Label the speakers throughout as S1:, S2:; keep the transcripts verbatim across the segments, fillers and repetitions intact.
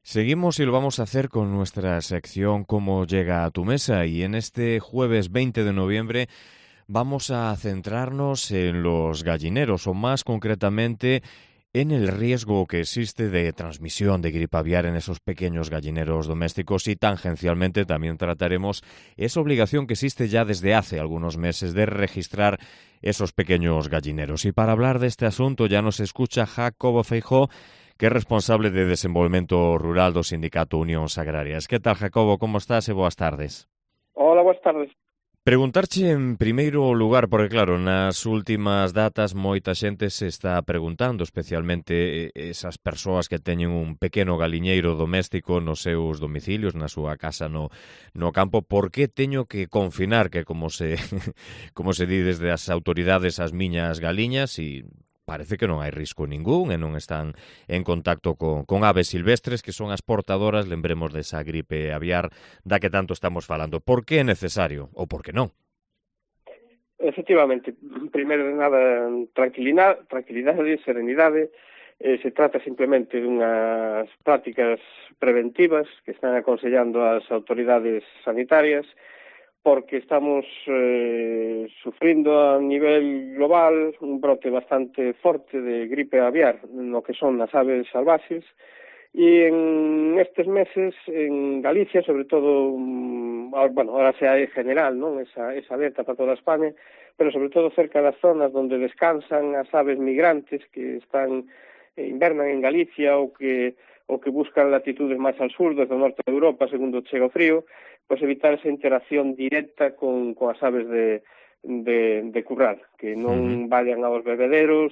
S1: Seguimos y lo vamos a hacer con nuestra sección Cómo llega a tu mesa, y en este jueves veinte de noviembre vamos a centrarnos en los gallineros, o más concretamente en el riesgo que existe de transmisión de gripe aviar en esos pequeños gallineros domésticos, y tangencialmente también trataremos esa obligación que existe ya desde hace algunos meses de registrar esos pequeños gallineros. Y para hablar de este asunto ya nos escucha Jacobo Feijó, que é responsable de Desenvolvemento Rural do Sindicato Unións Agrarias. Que tal, Jacobo? Como estás e boas tardes?
S2: Hola, boas tardes.
S1: Preguntarche en primeiro lugar, porque claro, nas últimas datas moita xente se está preguntando, especialmente esas persoas que teñen un pequeno galiñeiro doméstico nos seus domicilios, na súa casa no, no campo, por que teño que confinar, que como se como se di desde as autoridades, as miñas galiñas, e parece que non hai risco ningún e non están en contacto con, con aves silvestres, que son as portadoras, lembremos, desa gripe aviar da que tanto estamos falando. Por que é necesario? Ou por que non?
S2: Efectivamente, primeiro de nada, tranquilidade, tranquilidade e serenidade. Eh, se trata simplemente dunhas prácticas preventivas que están aconsellando as autoridades sanitarias, porque estamos eh, sufrindo a nivel global un brote bastante forte de gripe aviar no que son as aves salvaxes, e en estes meses en Galicia, sobre todo, bueno, ahora xa é general, non? Esa, esa alerta para toda España, pero sobre todo cerca das zonas onde descansan as aves migrantes que están eh, invernan en Galicia ou que ou que buscan latitudes máis al sur, desde o norte de Europa, segundo chega o frío, pois evitar esa interacción directa con, con as aves de, de, de curral, que non vayan aos bebederos,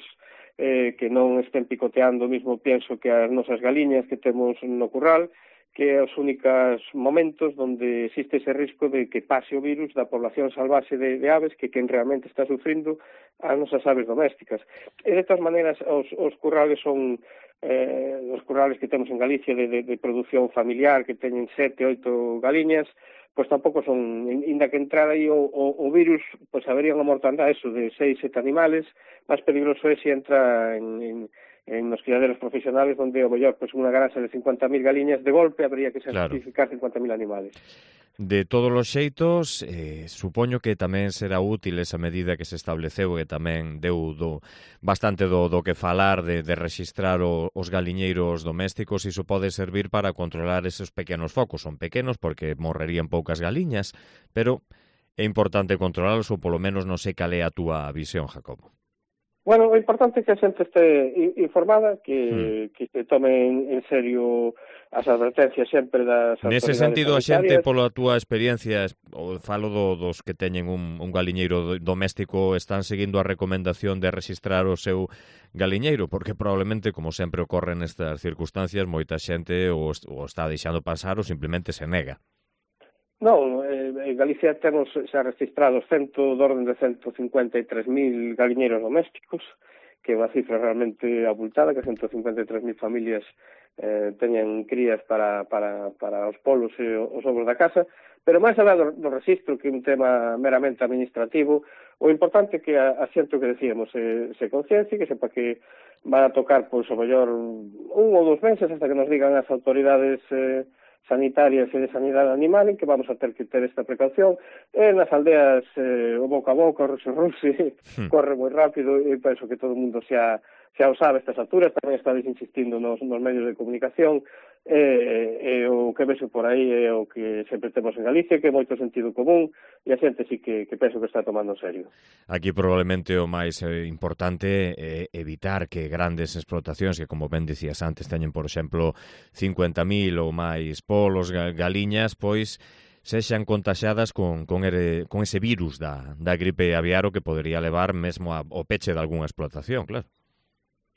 S2: eh, que non estén picoteando o mismo pienso que as nosas galiñas que temos no curral, que é os únicos momentos onde existe ese risco de que pase o virus da población salvaxe de, de aves, que quen realmente está sufrindo as nosas aves domésticas. E de todas maneiras, os, os currales son eh, os currales que temos en Galicia de, de, de produción familiar, que teñen sete, oito galiñas, pois tampouco son, inda que entrar aí o, o, o virus, pois habería unha mortandade eso de seis, sete animales, máis peligroso é se entra en, en, en nos criaderos profesionales, onde o mellor, pois unha granja de cincuenta mil galiñas, de golpe habría que sacrificar claro. cincuenta mil animales.
S1: De todos os xeitos, eh, supoño que tamén será útil esa medida que se estableceu e tamén deu do, bastante do, do que falar de, de registrar o, os galiñeiros domésticos. Iso pode servir para controlar esos pequenos focos. Son pequenos porque morrerían poucas galiñas, pero é importante controlarlos, ou polo menos non sei cal é a túa visión, Jacobo.
S2: Bueno, o importante é que a xente este informada, que, hmm. que se tome en serio as advertencias sempre das autoridades
S1: sanitarias. Nese sentido, a xente, pola túa experiencia, o falo do, dos que teñen un, un galiñeiro doméstico, están seguindo a recomendación de registrar o seu galiñeiro, porque probablemente, como sempre ocorre nestas circunstancias, moita xente o, o está deixando pasar ou simplemente se nega.
S2: Non, en Galicia temos xa registrados cento, do orden de cento cincuenta e tres mil galiñeiros domésticos, que é unha cifra realmente abultada, que cento cincuenta e tres mil familias eh, teñen crías para, para, para os polos e os ovos da casa, pero máis alá do, do registro, que é un tema meramente administrativo, o importante é que a, a xente, que decíamos, se, se conciencia, que sepa que van a tocar, pois, o mellor un ou dous meses, hasta que nos digan as autoridades eh, sanitarias e de sanidade animal, en que vamos a ter que ter esta precaución. E nas aldeas eh, o boca a boca, o ruxe-ruxe, hmm. corre moi rápido, e penso que todo o mundo xa, xa o sabe a estas alturas, tamén estades insistindo nos, nos medios de comunicación, e, e o que vexo por aí é o que sempre temos en Galicia, que é moito sentido común, e a xente sí que, que penso que está tomando en serio.
S1: Aquí probablemente o máis eh, importante é evitar que grandes explotacións, que como ben dicías antes, teñen, por exemplo, cincuenta mil ou máis polos, galiñas, pois sexan contaxadas con, con, ere, con ese virus da, da gripe aviar, o que podería levar mesmo ao peche de algunha explotación, claro.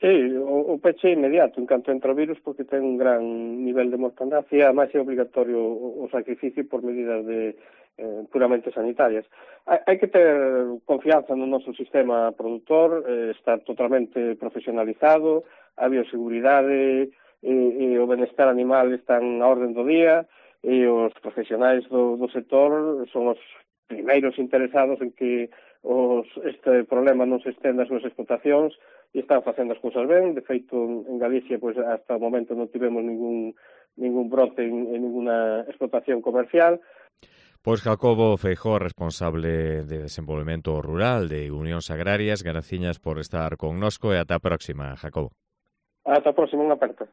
S2: Sí, o, o peche é inmediato en canto entra o virus, porque ten un gran nivel de mortandade e ademais é obligatorio o, o sacrificio por medidas de eh, puramente sanitarias. Hai, hai que ter confianza no noso sistema produtor, eh, está totalmente profesionalizado, a bioseguridade e, e o benestar animal están a orden do día, e os profesionais do, do sector son os primeiros interesados en que os, este problema non se estenda ás súas explotacións e están facendo as cousas ben. De feito, en Galicia, pois, hasta o momento non tivemos ningún, ningún brote en, en ninguna explotación comercial.
S1: Pois Jacobo Feijóo, responsable de Desenvolvemento Rural de Unións Agrarias, graciñas por estar connosco e ata a próxima, Jacobo.
S2: Ata a próxima, unha aperta.